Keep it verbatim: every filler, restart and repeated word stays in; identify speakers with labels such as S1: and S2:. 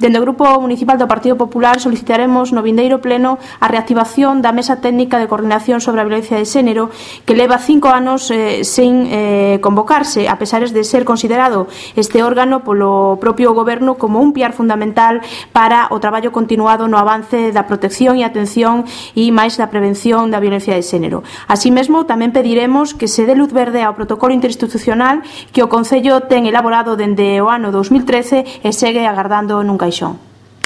S1: Dende o Grupo Municipal do Partido Popular solicitaremos no vindeiro pleno a reactivación da Mesa Técnica de Coordinación sobre a Violencia de Xénero, que leva cinco anos eh, sen eh, convocarse, a pesar de ser considerado este órgano polo propio Goberno como un piar fundamental para o traballo continuado no avance da protección e atención e máis da prevención da violencia de xénero. Así mesmo, tamén pediremos que se dé luz verde ao protocolo interinstitucional que o Concello ten elaborado dende o ano dos mil trece e segue agardando nun caixón.